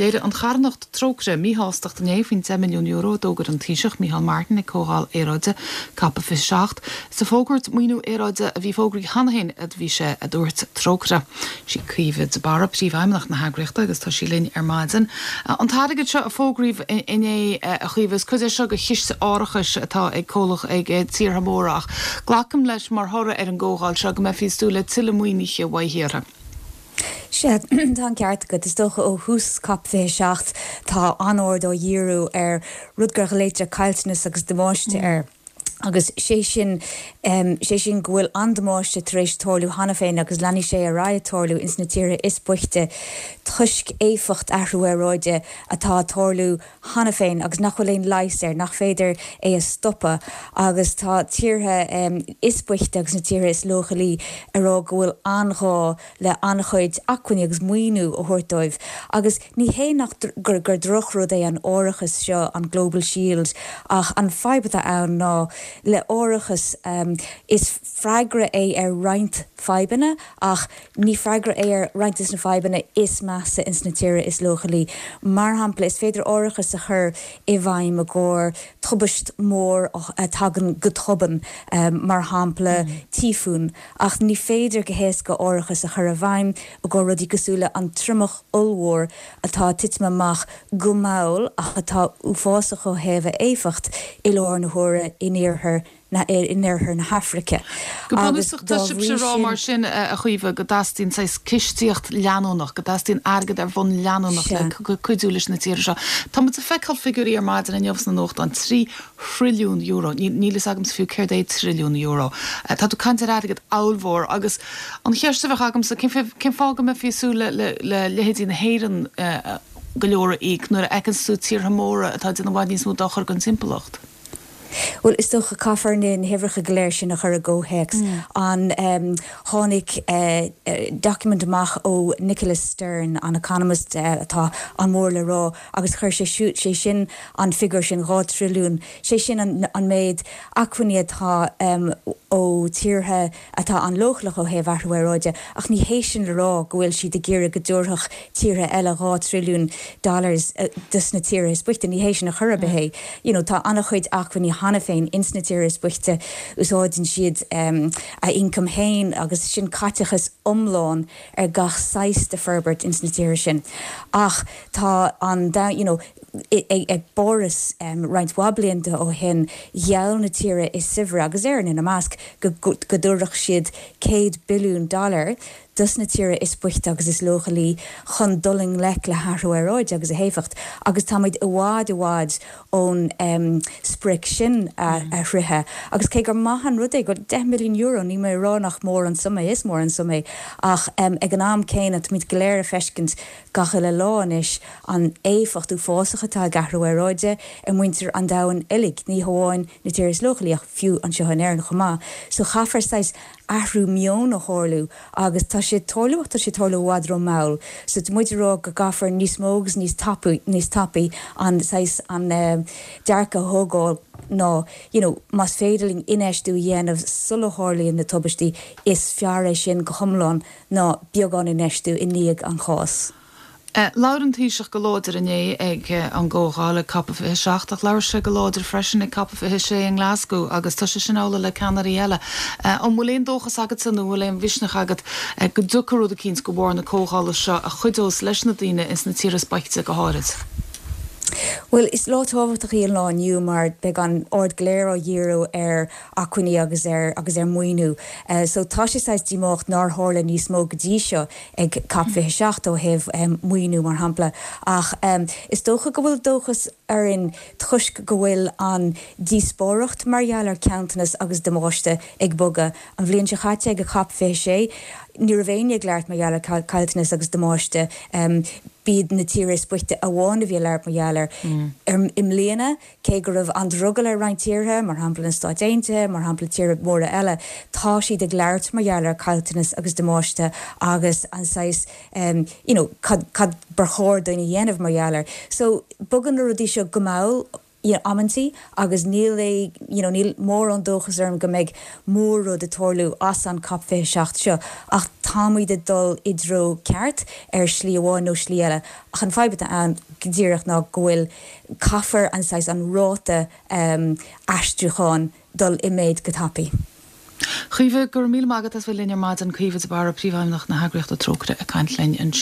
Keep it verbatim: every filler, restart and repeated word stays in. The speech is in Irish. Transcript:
Léirigh an charthanacht Trócaire míshástacht inné faoin deich milliún euro a d'fhógair an Taoiseach Micheál Martin ag Comhdháil Aeráide COP fiche seacht. Is ag fógairt maoiniú aeráide a bhí fógraithe cheana féin a bhí sé, a dúirt Trócaire. Sí Caoimhe de Barra príomhfheidhmeannach na heagraíochta agus tá sí linn ar maidin. An t-airgead seo a fógraíodh inné, a Chaoimhe, is cuid é seo de chiste árachais atá ag comhlacht ag tíortha móra ach glacaim leis mar thoradh ar an gcomhdháil seo go mbeifí ag súil le tuilleadh maoinithe ó thíortha. Sea, tá an ceart agat. Is dócha ó thús COP fiche seacht tá an-aird á dhíriú ar rud gur ghlaoitear caillteanas agus damáiste air. Agus sé sin, sé sin go bhfuil an-damáiste tar éis tarlú cheana féin agus leanfaidh sé ar aghaidh ag tarlú ins na tíortha is boichte toisc éifeacht athrú aeráide atá ag tarlú cheana féin agus nach bhfuil aon leigheas air, nach féidir é a stopadh. Agus tá tíortha is boichte agus na tíortha is leochailí ag rá go bhfuil an-ghá le an-chuid acmhainní agus maoiniú a thabhairt dóibh. Agus ní hé nach gur gur drochrud é an árachas seo, an Global Shield, ach an fadhb atá ann ná le árachas is freagra é ar roinnt fadhbanna ach ní freagra é ar roinnt de na fadhbanna is measa ins na tíortha is leochailí. Mar shampla, is féidir árachas a chur i bhfeidhm i gcomhair tubaist mhór a thagann go tobann, mar shampla tíofún, ach ní féidir go héasca árachas a chur i bhfeidhm i gcomhair rudaí cosúil le an triomach ollmhór atá ag titim amach go mall ach atá uafásach ó thaobh a éifeacht i láthair na huaire in iarthar na in oirthear na hAfraice. Go bunúsach, tá sibhse ag rá mar sin, a Chaoimhe, go dteastaíonn saghas cistíocht leanúnach, go dteastaíonn airgead ar bhonn leanúnach le cuidiú leis na tíortha seo. Tá muid ag feiceáil figiúirí ar maidin inniu sna nuachtáin, trí thrilliún euro. Níl fhios agamsa fiú céard é trilliún euro. Tá tú ag caint ar airgead ollmhór agus an cheist a bheadh agamsa, cén fáth go mbeifí ag súil le leithéidí na hÉireann go leor a íoc nuair a fheiceann tú tíortha móra atá ag déanamh i bhfad níos mó dochair don timpeallacht? Bhuel, is dócha caithfear na huimhreacha go léir sin a chur i gcomhthéacs. An tháinig document amach ó Nicholas Stern, an economist atá an-mhór le rá, agus chuir sé sé sin an figiúr sin, dhá trilliún, sé sin an méid acmhainní atá ó tíortha atá an-leochaileach ó thaobh athrú aeráide, ach ní hé sin le rá go bhfuil siad ag iarraidh go dtabharfadh tíortha eile dhá trilliún dollars dos na tíortha is boichte. Ní hé sin a chor ar bith é. You know, tá an-chuid acmhainní cheana féin ins na tíortha is boichte, úsáideann siad a ioncam féin agus sin caiteachas iomlán ar gach saghas de forbairt ins na tíortha sin. Ach tá an you know, ag bPáras roinnt mhaith blianta ó shin, gheall na tíortha is saibhre, agus Éirinn ina measc, go dtabharfadh siad céad billiún dollar dos na tíortha is boichte agus is leochailí chun dul i ngleic le hathrú aeráide agus a héifeacht, agus táimid i bhfad i bhfad ón sprioc sin a shroicheadh. Agus cé gur maith an rud é go deich milliún euro, níl mé ag rá nach mór an suim é, is mór an suim é, ach ag an am céanna táimid go léir ag feiscint gach uile lá anois an éifeacht uafásach atá ag athrú aeráide ar mhuintir an domhain uilig, ní hamháin na tíortha is leochailí ach fiú anseo in Éirinn chomh maith. So chaithfear saghas athrú meoin a tharlú agus tá sé ag tarlú ach tá sé ag tarlú i bhfad ró-mhall. So tá muid ag rá go gcaithfear níos mó agus níos tapaí, níos tapaí an saghas an dearcadh a thógáil ná you know más féidir linn infheistiú a dhéanamh sula tharlaíonn na tubaistí is fearr é sin go hiomlán ná beagán infheistiú i ndiaidh an cháis. Labhair an Taoiseach go láidir inné ag an gcomhdháil ag COP fiche seacht ach labhair sé go láidir freisin ag COP fiche sé i nGlasgow agus tá sé sin amhlaidh le ceannairí eile. An bhfuil aon dóchas agatsa nó an bhfuil aon mhisneach agat go dtiocfaidh rud eicínt de bharr na comhdhála seo a chuideos leis na daoine ins na tíortha is boichte go háirid? Bhuel, is lá tábhachtach í an lá inniu mar beidh an aird go léir á dhíriú ar acmhainní agus ar agus ar mhaoiniú. So tá sé saghas díomách nár tharla níos mó go dtí seo ag COP fiche seacht ó thaobh maoiniú mar shampla. Ach is dócha go bhfuil dóchas orainn toisc go bhfuil an díospóireacht mar gheall ar chaillteanas agus damáiste ag bogadh. An bhliain seo chaite ag COP fiche sé, ní raibh éinne ag labhairt mar gheall ar chaillteanas agus damáiste. B'iad na tíortha is boichte amháin a bhí ag labhairt mar gheall air. I mbliana, cé go raibh an-drogall ar roinnt tíortha, mar shampla na Stáit Aontaithe, mar shampla tíortha móra eile, tá siad ag labhairt mar gheall ar chaillteanas agus damáiste agus an saghas you know cad cad ba chóir dúinn a dhéanamh mar gheall air. So bogann na rudaí seo go mall. you know, amantaí agus níl é you know, níl mórán dóchas orm go mbeidh mór-rud ag tarlú as an COP fiche seacht seo ach táimid ag dul i dtreo ceart ar shlí amháin nó slí eile ach an fadhb atá ann go díreach ná go bhfuil caithfear an saghas an ráta um, aistriúcháin dul i méid go tapaidh. Caoimhe go raibh míle maith agat as bheith linn ar maidin Caoimhe de Barra príomhfheidhmeannach na heagraíochta Trócaire ag caint linn ansin.